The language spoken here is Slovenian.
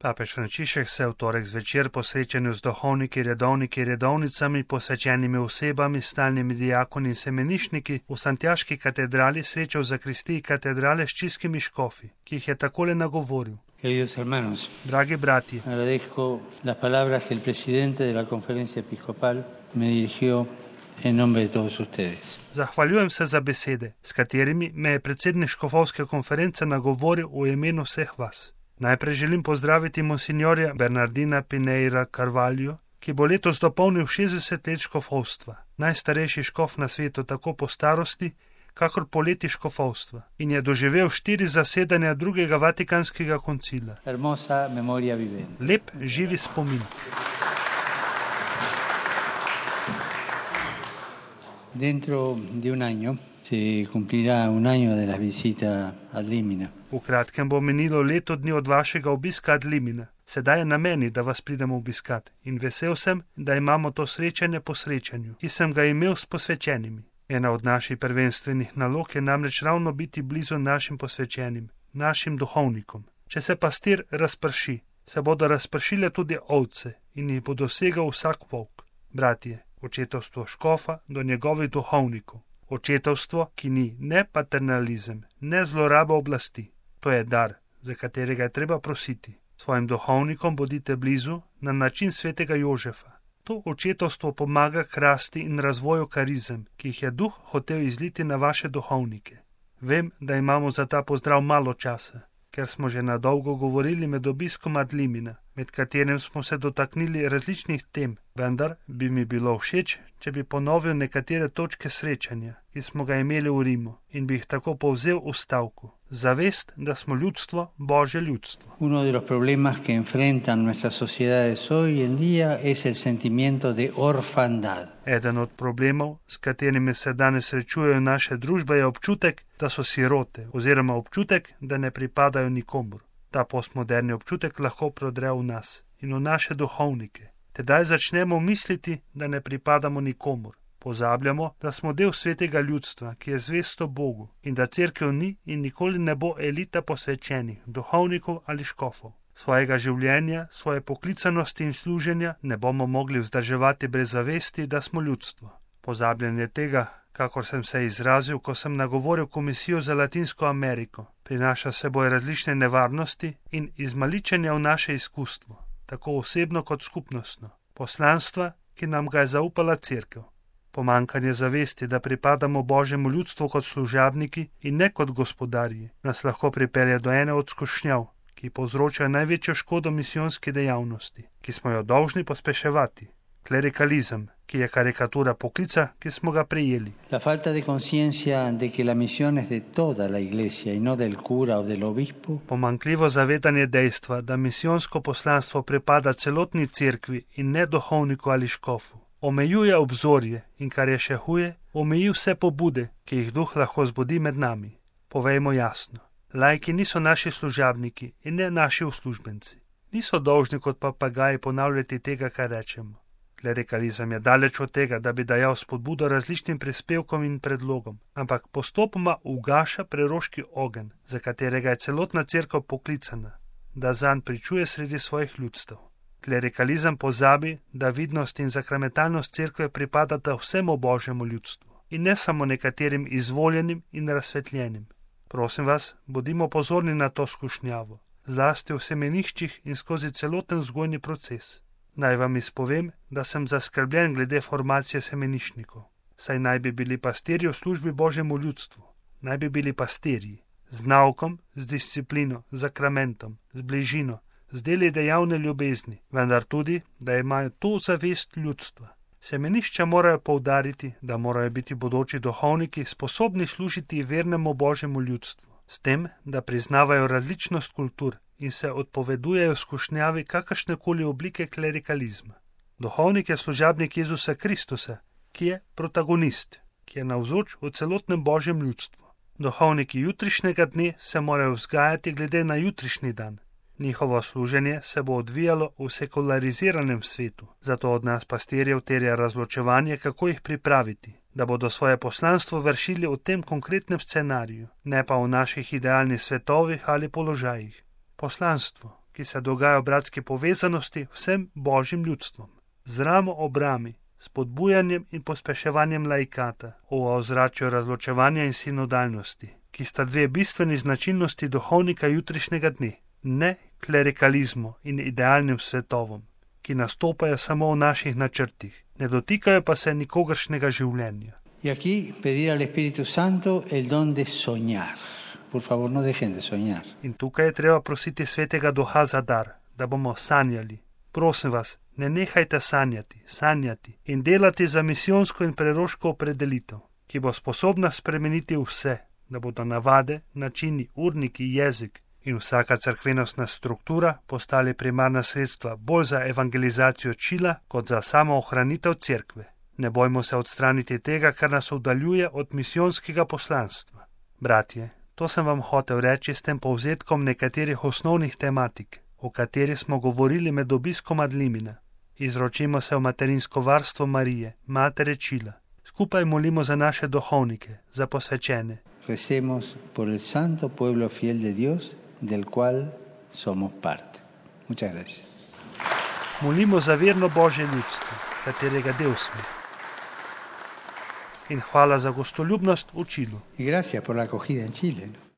Papež Frančišek se v torek zvečer po srečanju z duhovniki, redovniki, redovnicami, posvečenimi osebami, stalnimi diakoni in semenišniki v Santiaški katedrali srečal za Kristiji katedrale s čilskimi škofi, ki jih je takole nagovoril. Queridos hermanos, Dragi bratje, agradezco las palabras que el presidente de la Conferencia Episcopal me dirigió en nombre de todos ustedes. Zahvaljujem se za besede, s katerimi me je predsednik škofovske konference nagovoril v imenu vseh vas. Najprej želim pozdraviti monsinjorja Bernardina Pineira Carvalho, ki bo letos dopolnil 60 let škofovstva, najstarejši škof na svetu tako po starosti, kakor po leti škofovstva, in je doživel 4 zasedanja drugega Vatikanskega koncila. Hermosa memoria vivente. Lep, živi spomin. Dentro de un año se cumplirá un año de la visita ad Limina. V kratkem bo minilo leto dni od vašega obiska ad Limina. Sedaj je na meni, da vas pridemo obiskat, in vesel sem, da imamo to srečanje po srečanju, ki sem ga imel s posvečenimi. Ena od naših prvenstvenih nalog je namreč ravno biti blizu našim posvečenim, našim duhovnikom. Če se pastir razprši, se bodo razpršile tudi ovce in jih bo dosegal vsak volk. Bratje, očetovstvo škofa do njegovih duhovnikov. Očetovstvo, ki ni ne paternalizem, ne zloraba oblasti. To je dar, za katerega je treba prositi. Svojim duhovnikom bodite blizu na način svetega Jožefa. To očetovstvo pomaga k rasti in razvoju karizem, ki jih je duh hotel izliti na vaše duhovnike. Vem, da imamo za ta pozdrav malo časa, ker smo že na dolgo govorili med obiskom ad Limina, med katerim smo se dotaknili različnih tem, vendar bi mi bilo všeč, če bi ponovil nekatere točke srečanja, ki smo ga imeli v Rimu, in bi jih tako povzel v stavku. Zavest, da smo ljudstvo, Božje ljudstvo. Uno de los problemas que enfrentan nuestras sociedades hoy en día es el sentimiento de orfandad. Eden od problemov, s katerimi se danes srečujejo naše družbe, je občutek, da so sirote, oziroma občutek, da ne pripadajo nikomur. Ta postmoderni občutek lahko prodre v nas in v naše duhovnike. Tedaj začnemo misliti, da ne pripadamo nikomur. Pozabljamo, da smo del svetega ljudstva, ki je zvesto Bogu, in da cerkev ni in nikoli ne bo elita posvečenih, duhovnikov ali škofov. Svojega življenja, svoje poklicanosti in služenja ne bomo mogli vzdrževati brez zavesti, da smo ljudstvo. Pozabljanje tega, kakor sem se izrazil, ko sem nagovoril Komisijo za Latinsko Ameriko, prinaša seboj različne nevarnosti in izmaličenja v naše izkustvo, tako osebno kot skupnostno, poslanstva, ki nam ga je zaupala cerkev. Pomankanje zavesti, da pripadamo Božjemu ljudstvu kot služabniki in ne kot gospodarji, nas lahko pripelje do ene od skušnjav, ki povzročajo največjo škodo misijonski dejavnosti, ki smo jo dolžni pospeševati. Klerikalizem, ki je karikatura poklica, ki smo ga prejeli. La falta de conciencia de que la misión es de toda la iglesia y no del cura o del obispo. Pomanjkljivo zavedanje dejstva, da misijonsko poslanstvo pripada celotni cerkvi in ne duhovniku ali škofu, omejuje obzorje in, kar je še huje, omeji vse pobude, ki jih duh lahko zbudi med nami. Povejmo jasno, laiki niso naši služabniki in ne naši uslužbenci. Niso dolžni kot papagaji ponavljati tega, kar rečemo. Klerikalizem je daleč od tega, da bi dajal spodbudo različnim prispevkom in predlogom, ampak postopoma ugaša preroški ogenj, za katerega je celotna cerkev poklicana, da zanj pričuje sredi svojih ljudstev. Klerikalizem pozabi, da vidnost in sakramentalnost cerkve pripadata vsemu Božjemu ljudstvu in ne samo nekaterim izvoljenim in razsvetljenim. Prosim vas, bodimo pozorni na to skušnjavo, zlasti v semeniščih in skozi celoten vzgojni proces. Naj vam izpovem, da sem zaskrbljen glede formacije semeniščnikov, saj naj bi bili pastirji v službi Božjemu ljudstvu, naj bi bili pastirji z naukom, z disciplino, z sakramentom, z bližino, z deli dejavne ljubezni, vendar tudi, da imajo to zavest ljudstva. Semenišča morajo poudariti, da morajo biti bodoči duhovniki sposobni služiti vernemu Božjemu ljudstvu, s tem, da priznavajo različnost kultur in se odpovedujejo skušnjavi kakršnekoli oblike klerikalizma. Duhovnik je služabnik Jezusa Kristusa, ki je protagonist, ki je navzoč v celotnem Božjem ljudstvu. Duhovniki jutrišnjega dne se morajo vzgajati glede na jutrišnji dan. Njihovo služenje se bo odvijalo v sekulariziranem svetu, zato od nas pastirjev terja razločevanje, kako jih pripraviti, da bodo svoje poslanstvo vršili v tem konkretnem scenariju, ne pa v naših idealnih svetovih ali položajih. Poslanstvo, ki se dogaja v bratski povezanosti vsem božjim ljudstvom. Z ramo ob rami, s podbujanjem in pospeševanjem laikata, v ozračju razločevanja in sinodalnosti, ki sta dve bistveni značilnosti duhovnika jutrišnjega dne, ne klerikalizmu in idealnim svetovom, ki nastopajo samo v naših načrtih, ne dotikajo pa se nikogaršnjega življenja. Y aquí pedir al Espíritu Santo el don de soñar. Por favor, no dejen de soñar. In tukaj je treba prositi Svetega Duha za dar, da bomo sanjali. Prosim vas, ne nehajte sanjati in delati za misijonsko in preroško opredelitev, ki bo sposobna spremeniti vse, da bodo navade, načini, urniki, jezik in vsaka cerkvenostna struktura postali primarna sredstva bolj za evangelizacijo čila kot za samo ohranitev cerkve. Ne bojmo se odstraniti tega, kar nas oddaljuje od misijonskega poslanstva. Bratje, to sem vam hotel reči s tem povzetkom nekaterih osnovnih tematik, o katerih smo govorili med obiskom ad limina. Izročimo se v materinsko varstvo Marije, matere čila. Skupaj molimo za naše duhovnike, za posvečene. Recemos por el santo pueblo fiel de Dios, del cual somos parte. Muchas gracias. Molimo za verno Božje ljudstvo, katerega del smo. In hvala za gostoljubnost v Čilu. Y gracias por la acogida en Chile, ¿no?